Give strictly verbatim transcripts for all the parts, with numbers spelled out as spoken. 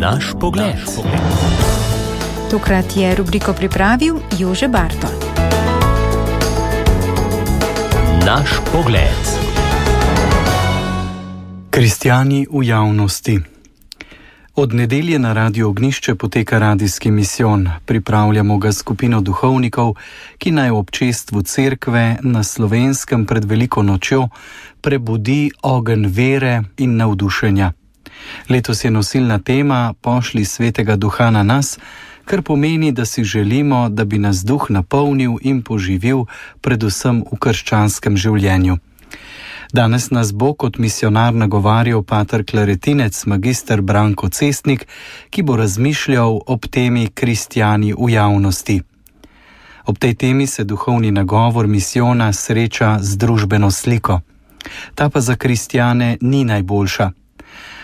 Naš pogled. Tokrat je rubriko pripravil Jože Bartol. Naš pogled. Kristjani v javnosti. Od nedelje na Radiu Ognjišče poteka radijski misijon. Pripravljamo ga skupino duhovnikov, ki naj v občestvu cerkve na Slovenskem pred veliko nočjo prebudi ogenj vere in navdušenja. Letos je nosilna tema Pošlji svetega duha na nas, kar pomeni, da si želimo, da bi nas duh napolnil in poživil predvsem v krščanskem življenju. Danes nas bo kot misionar nagovarjal pater klaretinec magister Branko Cestnik, ki bo razmišljal ob temi Kristjani v javnosti. Ob tej temi se duhovni nagovor misijona sreča z družbeno sliko. Ta pa za kristjane ni najboljša.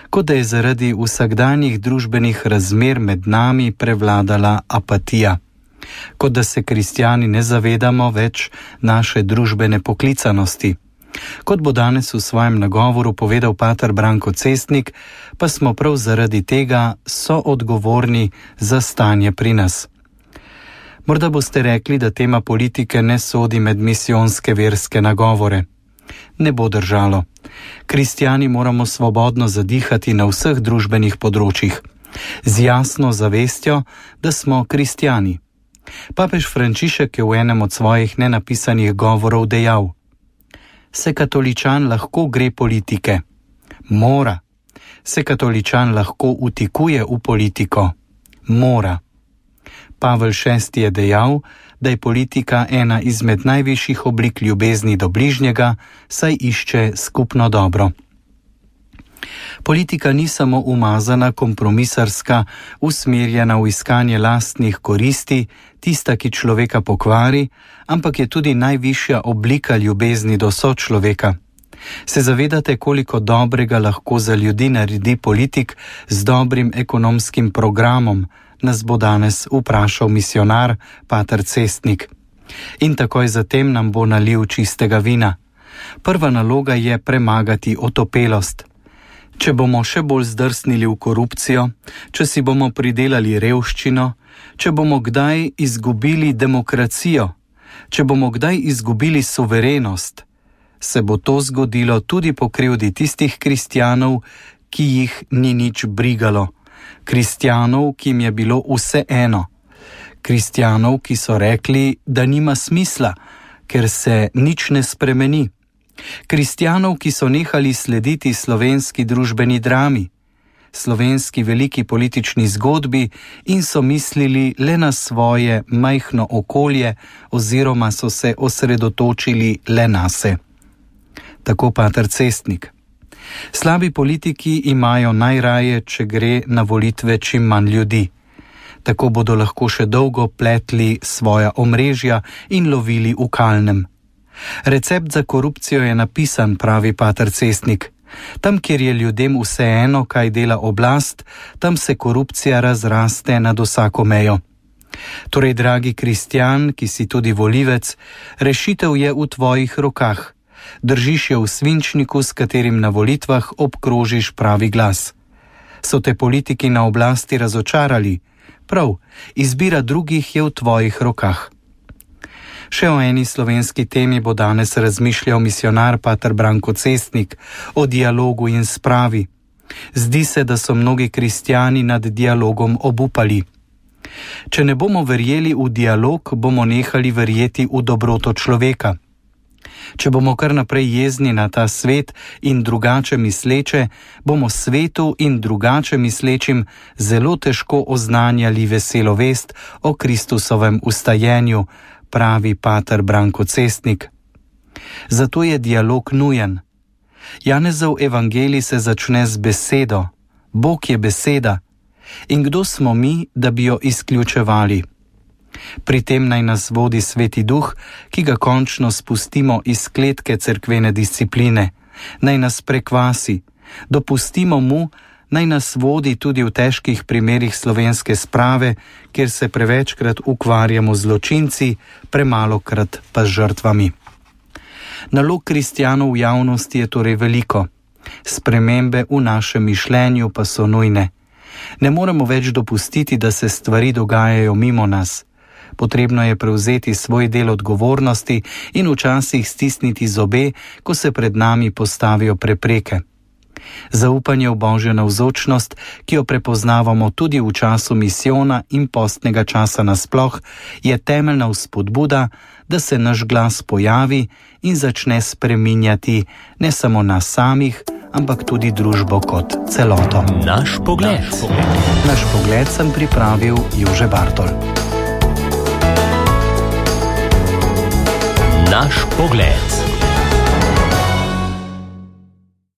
Kot da je zaradi vsakdanjih družbenih razmer med nami prevladala apatija. Kot da se kristjani ne zavedamo več naše družbene poklicanosti. Kot bo danes v svojem nagovoru povedal pater Branko Cestnik, pa smo prav zaradi tega soodgovorni za stanje pri nas. Morda boste rekli, da tema politike ne sodi med misijonske verske nagovore. Ne bo držalo. Kristjani moramo svobodno zadihati na vseh družbenih področjih, z jasno zavestjo, da smo kristjani. Papež Frančišek je v enem od svojih nenapisanih govorov dejal: Se katoličan lahko gre politike? Mora. Se katoličan lahko vtikuje v politiko? Mora. Pavel šesti je dejal, da je politika ena izmed najvišjih oblik ljubezni do bližnjega, saj išče skupno dobro. Politika ni samo umazana, kompromisarska, usmerjena v iskanje lastnih koristi, tista, ki človeka pokvari, ampak je tudi najvišja oblika ljubezni do sočloveka. Se zavedate, koliko dobrega lahko za ljudi naredi politik z dobrim ekonomskim programom, nas bo danes vprašal misionar pater Cestnik. In takoj zatem nam bo nalil čistega vina. Prva naloga je premagati otopelost. Če bomo še bolj zdrsnili v korupcijo, če si bomo pridelali revščino, če bomo kdaj izgubili demokracijo, če bomo kdaj izgubili suverenost, se bo to zgodilo tudi po krivdi tistih kristjanov, ki jih ni nič brigalo. Kristjanov, ki jim je bilo vse eno. Kristjanov, ki so rekli, da nima smisla, ker se nič ne spremeni. Kristjanov, ki so nehali slediti slovenski družbeni drami, slovenski veliki politični zgodbi in so mislili le na svoje majhno okolje oziroma so se osredotočili le nase. Tako pater Cestnik. Slabi politiki imajo najraje, če gre na volitve čim manj ljudi. Tako bodo lahko še dolgo pletli svoja omrežja in lovili v kalnem. Recept za korupcijo je napisan, pravi pater Cestnik. Tam, kjer je ljudem vseeno, kaj dela oblast, tam se korupcija razraste nad vsako mejo. Torej, dragi kristjan, ki si tudi volivec, rešitev je v tvojih rokah. Držiš jo v svinčniku, s katerim na volitvah obkrožiš pravi glas. So te politiki na oblasti razočarali? Prav, izbira drugih je v tvojih rokah. Še o eni slovenski temi bo danes razmišljal misionar pater Branko Cestnik, o dialogu in spravi. Zdi se, da so mnogi kristjani nad dialogom obupali. Če ne bomo verjeli v dialog, bomo nehali verjeti v dobroto človeka. Če bomo kar naprej jezni na ta svet in drugače misleče, bomo svetu in drugače mislečim zelo težko oznanjali veselo vest o Kristusovem ustajenju, pravi pater Branko Cestnik. Zato je dialog nujen. Janezov evangelij se začne z besedo. Bog je beseda. In kdo smo mi, da bi jo izključevali? Pri tem naj nas vodi Sveti Duh, ki ga končno spustimo iz kletke cerkvene discipline. Naj nas prekvasi. Dopustimo mu, naj nas vodi tudi v težkih primerih slovenske sprave, kjer se prevečkrat ukvarjamo z zločinci, premalokrat pa z žrtvami. Nalog kristjanov v javnosti je torej veliko. Spremembe v našem mišljenju pa so nujne. Ne moremo več dopustiti, da se stvari dogajajo mimo nas. Potrebno je prevzeti svoj del odgovornosti in včasih stisniti zobe, ko se pred nami postavijo prepreke. Zaupanje v Božjo navzočnost, ki jo prepoznavamo tudi v času misijona in postnega časa nasploh, je temeljna vzpodbuda, da se naš glas pojavi in začne spreminjati ne samo nas samih, ampak tudi družbo kot celoto. Naš pogled. Naš pogled sem pripravil Jože Bartol. Naš pogled.